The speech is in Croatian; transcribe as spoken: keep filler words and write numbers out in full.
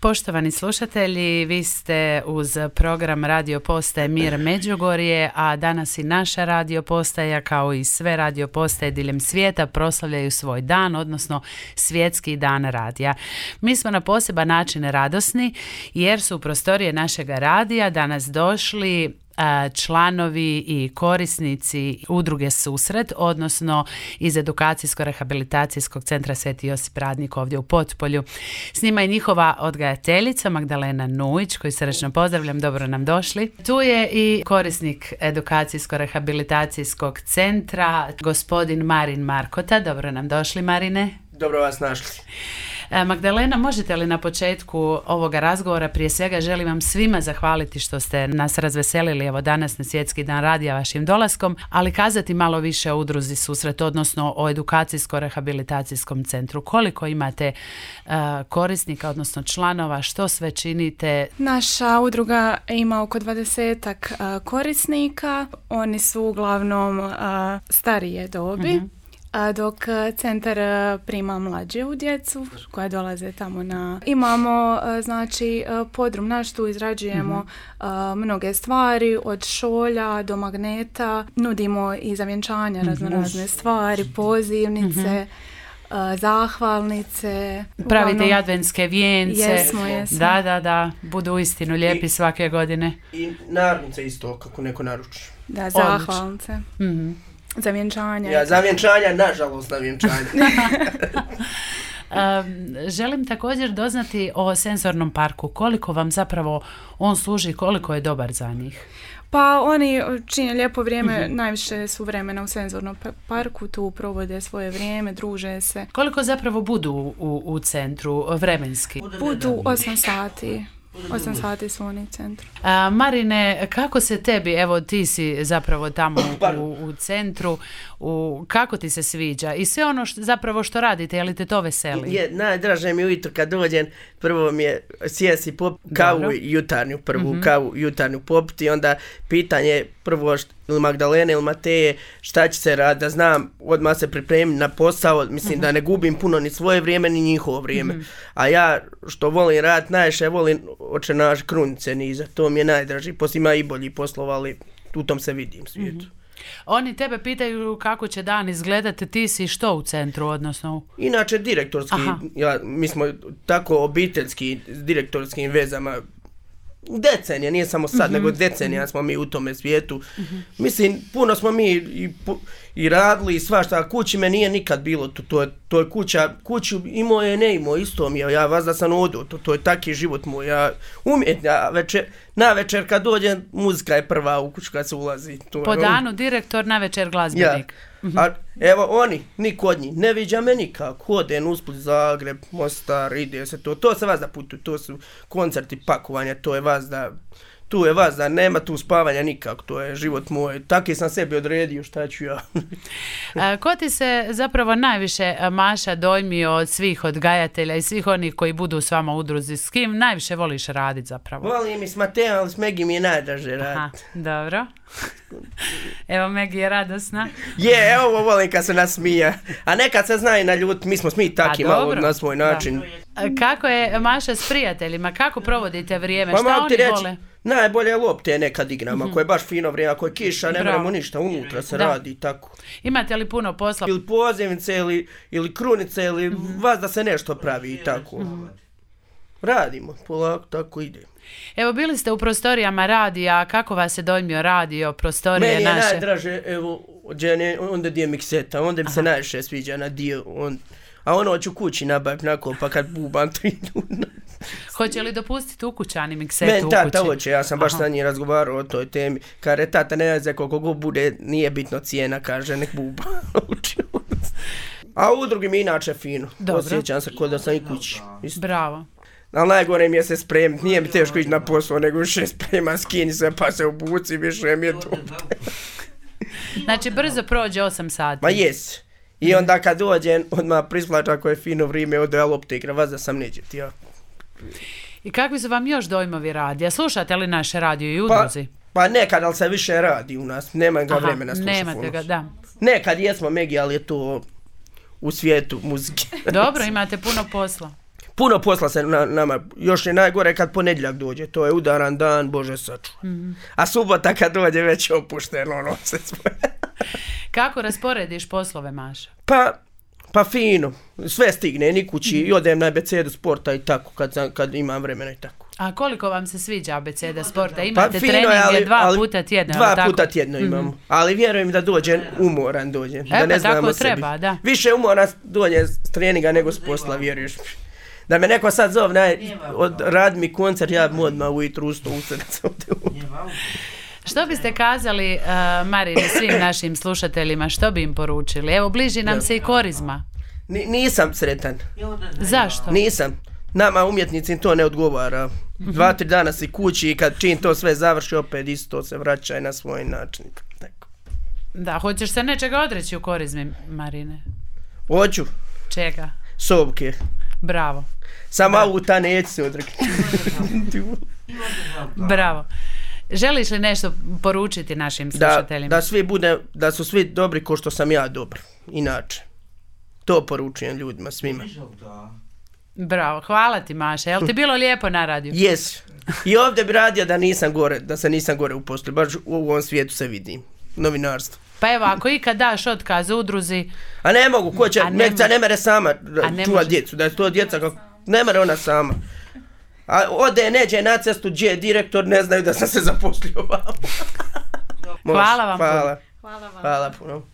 Poštovani slušatelji, vi ste uz program Radio Postaje Mir Međugorje, a danas i naša radio postaja kao i sve radio postaje diljem svijeta proslavljaju svoj dan, odnosno svjetski dan radija. Mi smo na poseban način radosni jer su u prostorije našega radija danas došli članovi i korisnici udruge Susret, odnosno iz Edukacijsko-rehabilitacijskog centra Sveti Josip Radnik ovdje u Potpolju. S njima je njihova odgajateljica Magdalena Nujić, koju srdečno pozdravljam, dobro nam došli. Tu je i korisnik Edukacijsko-rehabilitacijskog centra, gospodin Marin Markota, dobro nam došli, Marine. Dobro vas našli. Magdalena, možete li na početku ovoga razgovora, prije svega želim vam svima zahvaliti što ste nas razveselili evo danas na Svjetski dan radija vašim dolaskom, ali kazati malo više o udruzi Susret, odnosno o Edukacijsko-rehabilitacijskom centru. Koliko imate uh, korisnika, odnosno članova, što sve činite? Naša udruga ima oko dvadesetak uh, korisnika, oni su uglavnom uh, starije dobi. Uh-huh. Dok centar prima mlađu djecu koja dolaze tamo na... Imamo, znači, podrum naš, tu izrađujemo mm-hmm. mnoge stvari, od šolja do magneta, nudimo i za vjenčanja mm-hmm. razno razne stvari, pozivnice, mm-hmm. zahvalnice. Pravite uglavnom, i adventske vijence. Jesmo, jesmo. Da, da, da, budu uistinu lijepi I, svake godine. I narnice isto, kako neko naruči. Da, zahvalnice. Mhm. Za vjenčanja. Ja, za vjenčanja, nažalost, na vjenčanja. um, želim također doznati o senzornom parku. Koliko vam zapravo on služi, koliko je dobar za njih? Pa oni čine lijepo vrijeme, uh-huh. najviše su vremena u senzornom parku, tu provode svoje vrijeme, druže se. Koliko zapravo budu u, u centru vremenski? Budu osam sati. osam sati su oni u centru. A, Marine, kako se tebi, evo ti si zapravo tamo u, u centru, u, kako ti se sviđa i sve ono što, zapravo što radite, je li te to veseli? Je, najdraže mi ujutro kad dođem, prvo mi je sjesti pop kavu Dobro. jutarnju, prvu mm-hmm. kavu jutarnju popiti, onda pitanje prvo št, ili Magdalene ili Mateje šta će se raditi, da znam odmah se pripremiti na posao, mislim mm-hmm. da ne gubim puno ni svoje vrijeme ni njihovo vrijeme, mm-hmm. a ja što volim raditi najviše volim oče naš krunice niza, to mi je najdraži, poslije ima i bolji poslova, ali u tom se vidim svijetu. Mm-hmm. Oni tebe pitaju kako će dan izgledati, ti si što u centru, odnosno? Inače direktorski, ja, mi smo tako obiteljski s direktorskim vezama, decenija, nije samo sad, mm-hmm. nego decenija smo mi u tome svijetu. Mm-hmm. Mislim, puno smo mi i, i radili i svašta, kući me nije nikad bilo, to, to, je, to je kuća, kuću imao je, ne imao, isto mi je, ja vas da sam odo, to, to je taki život moj, ja umijem, ja večer, na večer kad dođem, muzika je prva u kuću kad se ulazi. To po je, danu on, direktor, na večer glazbenik. Ja. Mm-hmm. A evo oni, niko od njih, ne viđa me nikako, hodem u Split, Zagreb, Mostar, ide se to, to se vas da putuju, to su koncerti, pakovanja, to je vas da, tu je vas da nema tu spavanja nikako, to je život moj, taki sam sebi odredio, šta ću ja. A, ko ti se zapravo najviše, Maša, dojmio od svih odgajatelja i svih onih koji budu s vama u udruzi, s kim najviše voliš raditi zapravo? Volim i s Matejom, ali s Megi mi je najdraže raditi. Dobro. Evo, Megi je radosna. Je, evo ovo volim kad se nasmija. A nekad se zna i na ljut, mi smo smi taki malo na svoj način. Da. Kako je, Maša, s prijateljima? Kako provodite vrijeme? Pa, šta oni reći, vole? Najbolje lopte nekad igram, mm-hmm. ako je baš fino vrijeme, ako je kiša, ne vremo ništa, unutra se da. radi tako. Imate li puno posla? Ili pozivnice, ili, ili krunice, ili mm-hmm. vas da se nešto pravi i tako. Mm-hmm. Radimo, polako, tako ide. Evo, bili ste u prostorijama radija, kako vas je dojmio radio, prostorije naše? Meni je najdraže, evo, džene, onda gdje mikseta, onda mi se najviše sviđa na dio, on, a ono ću kući nabaviti nako, pa kad bubam tri ljuna. Hoće li dopustiti ukućani miksetu u kući? Men, tata hoće, ja sam baš Aha. sa njim razgovarao o toj temi. Kaže, tata ne zna koliko god bude, nije bitno cijena, kaže, nek buba. A u drugi mi inače fino. Dobro. Osjećam se kod da sam i kući. Isto. Bravo. Ali najgore mi je se spremiti, nije mi teško ići na posao, nego više sprema, skini se pa se obuci, više mi je to. Znači brzo prođe osam sati. Ma jes. I onda kad dođem, odmah prisplača ako je fino vrijeme, ode ja lopte igra, vas da sam neđeti, ja. I kakvi su vam još dojmovi radija? Slušate li naše radio i udruzi? Pa, pa nekad, ali se više radi u nas, nema ga Aha, vremena slušati. Nemate ga, da. Nekad jesmo Megi, ali je to u svijetu muzike. Dobro, imate puno posla. puno posla se na, nama, još je najgore kad ponedjeljak dođe, to je udaran dan, Bože sačuva. Mm-hmm. A subota kad dođe već je opušteno, ono se svoje. Kako rasporediš poslove, Maša? Pa, pa fino, sve stigne, ni kući, mm-hmm. i odem na abecedu sporta i tako, kad, kad imam vremena i tako. A koliko vam se sviđa abeceda sporta? Imate pa, treninge ali, dva ali, puta tjedno? Dva tako? puta tjedno imamo, mm-hmm. ali vjerujem da dođe umoran dođe. E, da ne pa tako sebi. treba, da. Više umora dođe s treninga nego s posla, vjeruješ. Da me neko sad zove, od radi mi koncert, ja bi odmah ujutru usto usred. Što biste kazali, uh, Marini, svim našim slušateljima, što bi im poručili? Evo, bliži nam se i korizma. N- nisam sretan. Zašto? Nisam. Nama umjetnici to ne odgovara. Dva, tri dana si kući i kad čim to sve završi, opet isto se vraća na svoj način. Tako. Da, hoćeš se nečega odreći u korizmi, Marine? Hoću. Čega? Sobke. Bravo. Samo auta neću se odreknuti. Bravo. Želiš li nešto poručiti našim slušateljima? Da, da svi bude, da su svi dobri ko što sam ja dobar. Inače. To poručujem ljudima, svima. Bravo, hvala ti, Maša. Jel ti bilo lijepo na radiju? Jes. I ovdje bi radio da nisam gore, da se nisam gore uposlio. Baš u ovom svijetu se vidim. Novinarstvo. Pa evo, ako ikad daš otkaz udruzi... A ne mogu, ko će, Mekica ne mere sama čuva djecu, da je to djeca kako... Ne mere ona sama. A ode, neđe na cestu, gdje direktor, ne znaju da sam se zaposlio. Hvala vam hvala. Hvala vam. Hvala puno.